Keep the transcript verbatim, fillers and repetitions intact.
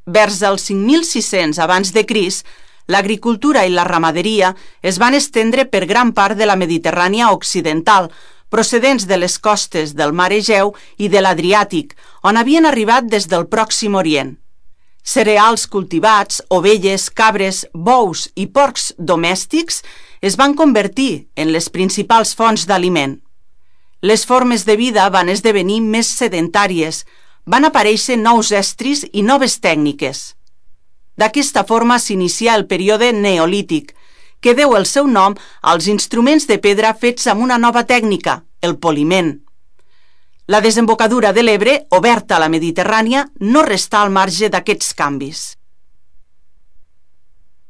Vers el cinc mil sis-cents abans de Crist, l'agricultura i la ramaderia es van estendre per gran part de la Mediterrània occidental, procedents de les costes del mar Egeu i de l'Adriàtic, on havien arribat des del Pròxim Orient. Cereals cultivats, ovelles, cabres, bous i porcs domèstics es van convertir en les principals fonts d'aliment. Les formes de vida van esdevenir més sedentàries, van aparèixer nous estris i noves tècniques. D'aquesta forma s'inicia el període neolític, que deu el seu nom als instruments de pedra fets amb una nova tècnica, el poliment. La desembocadura de l'Ebre, oberta a la Mediterrània, no restà al marge d'aquests canvis.